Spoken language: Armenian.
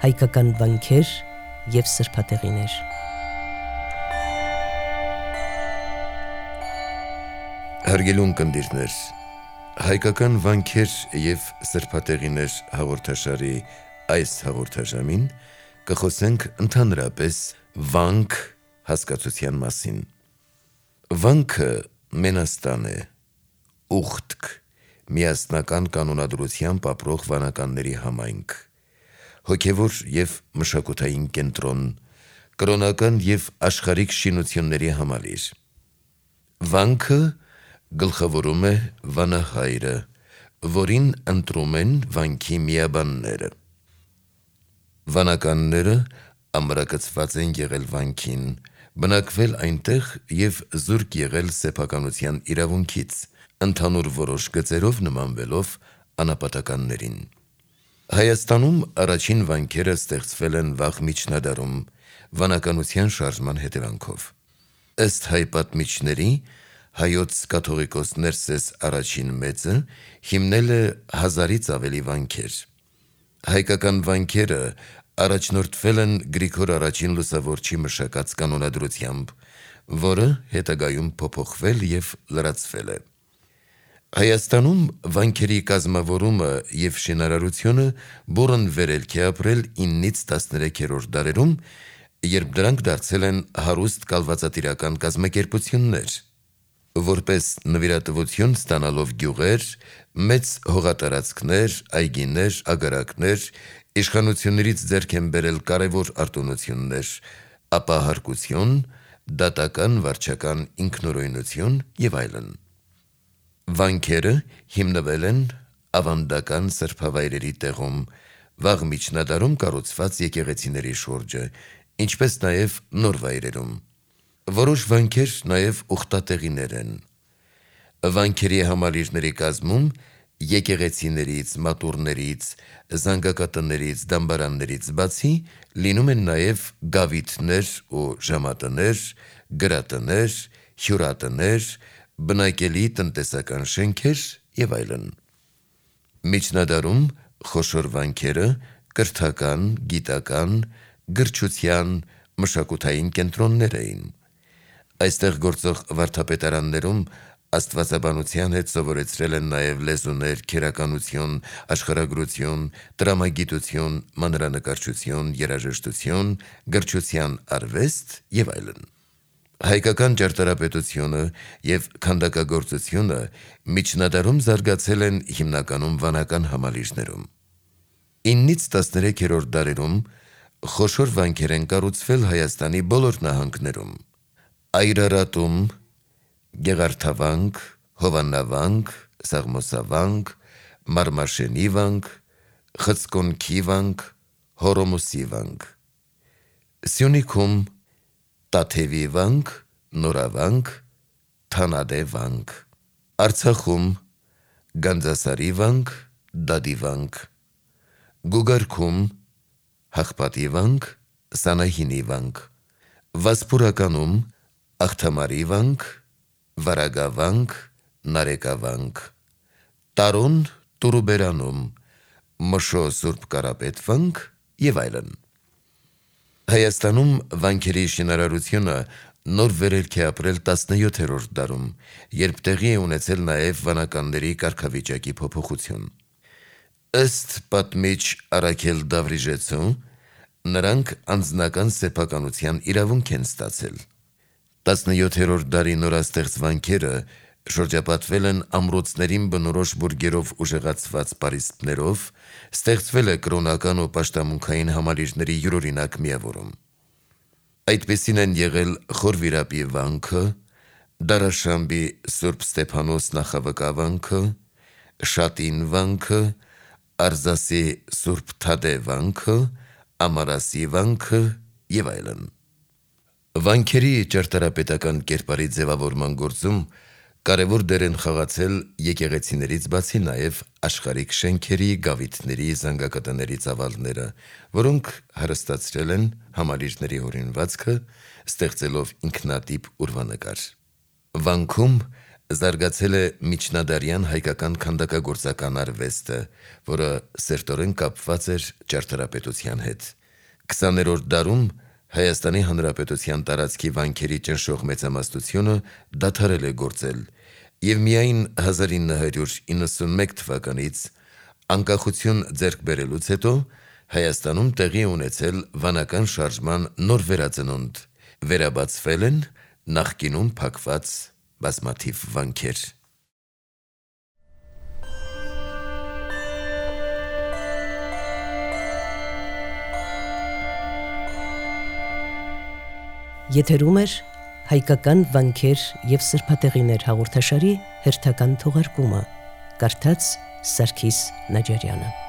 հայկական վանքեր և սրբատեղիներ։ Հարգելուն կնդիրներ, հայկական վանքեր և սրբատեղիներ հաղորդաշարի այս հաղորդաժամին կխոսենք ընդհանրապես վանք հասկացության մասին։ Վանքը մենաստան է, ուխտք, միասնական կանոնադրությամբ ապրող վանականների համայնք, հոգևոր և մշակութային կենտրոն, կրոնական և աշխարհիկ շինությունների համալիր։ Վանքը գլխավորում է վանահայրը, որին ընտրում են վանքի միաբանները։ Վանականները ամրակցված են եղել վանքին, բնակվել այնտեղ և զուրկ եղել սեփականության իրավունքից, ընդհանուր որոշ գծերով նմանվելով անապատականներին։ Հայաստանում առաջին վանքերը ստեղծվել են վաղ միջնադարում վանականության շարժման հետևանքով։ Ըստ հայ պատմիչների, հայոց կաթողիկոս Ներսես առաջին մեծը հիմնել է 1000-ից ավելի վանքեր։ Հայկական վանքերը առաջնորդվել են Գրիգոր առաջին լուսավորչի մշակած կանոնադրությամբ, որը հետագայում փոփոխվել և լրացվել է։ Հայաստանում վանքերի կազմավորումը և շինարարությունը բուռն վերելք է ապրել 9-ից 13-րդ դարերում, երբ դրանք դարձել են հարուստ կալվածատիրական կազմակերպություններ, որպես նվիրատվություն ստանալով գյուղեր, մեծ հողատարածքներ, այգիներ, ագարակներ, իշխանություններից ձեռք են բերել կարևոր արտոնություններ, ապահարկություն, դատական վարչական ինքնուրույնություն և այլն։ Վանքերը հիմնվել են ավանդական սրբավայրերի տեղում, վաղ միջնադարում կառուցված եկեղեցիների շուրջը, ինչպես նաև նոր վայրերում։ Որոշ վանքեր նաև ուխտատեղիներ են։ Վանքերի համալիրների կազմում եկեղեցիներից, մատուռներից, զանգակատներից, դամբարաններից բացի լինում են նաև գավիթներ ու ժամատներ, գրատներ, հյուրատներ, բնակելի տնտեսական շենքեր և այլն։ Միջնադարում խոշոր վանքերը կրթական, գիտական, գրչության, մշակութային կենտրոններ էին։ Այստեղ գործող վարդապետարաններում աստվածաբանության հետ սովորեցրել են նաև լեզուներ, քերականություն, աշխարհագրություն, տրամագիտություն, մանրանկարչություն, երաժշտություն, գրչության արվեստ և այլն։ Հայկական ճարտարապետությունը և քանդակագործությունը միջնադարում զարգացել են հիմնականում վանական համալիրներում։ 9-ից 13-րդ դարերում խոշոր վանքեր են կառուցվել Հայաստանի բոլոր նահանգներում։ Այրարատում, Գեղարդավանք, Հովաննավանք, Սաղմոսավանք, Մարմաշենի վանք, Խցկոնքի վանք, Հորոմոսի վանք։ Սյունիքում Տաթևի վանք, Նորավանք, Թանադե վանք։ Արցախում Գանձասարի վանք, Դադի վանք։ Գուգարքում Հաղպատի վանք, Սանահինի վանք։ Վասպուրականում Աղթամարի վանք, Վարագավանք, Նարեկավանք։ Տարոն Տուրուբերանում Մշո Սուրբ Կարապետ վանք և այլն։ Հայաստանում վանքերի շինարարությունը նոր վերելք է ապրել 17-րդ դարում, երբ տեղի է ունեցել նաև վանականների կարգավիճակի փոփոխություն։ Ըստ պատմիչ Առաքել Դավրիժեցու, նրանք անձնական սեփականության իրավունք են ստացել։ 17-րդ դարի նորաստեղծ վանքերը շրջապատվել են ամրոցներին բնորոշ բուրգերով ուժեղացված պարիսպներով, ստեղծվել է կրոնական ու պաշտամունքային համալիրների յուրօրինակ միավորում։ Այդպիսին են եղել Խորվիրապի վանքը, Դարաշամբի Սուրբ Ստեփանոս նախավկա վանքը, Շատին վանքը, Արզասի Սուրբ Թադե վանքը, Ամարասի վանքը և այլն։ Վանքերի ճարտարապետական կերպարի ձևավորման գործում կարևոր դեր են խաղացել եկեղեցիներից բացի նաև աշխարհիկ շենքերի, գավիթների, զանգակատների ծավալները, որոնք հարստացրել են համալիրների հորինվածքը, ստեղծելով ինքնատիպ ուրվանկար։ Վանքում Զարգացել է միջնադարյան հայկական քանդակագործական արվեստը, որը սերտորեն կապված էր ճարտարապետության հետ։ 20-րդ դարում Հայաստանի Հանրապետության տարածքի վանքերի ճնշող մեծամասնությունը դադարել է գործել, եւ միայն 1991 թվականից անկախություն ձեռք բերելուց հետո Հայաստանում տեղի ունեցել վանական շարժման նոր վերածնունդ, վերաբացվել են նախկինում փակված բազմաթիվ վանքեր։ Եթերում էր հայկական վանքեր եւ սրբատեղիներ հաղորդաշարի հերթական թողարկումը։ Կարդաց Սարգիս Նաջարյանը։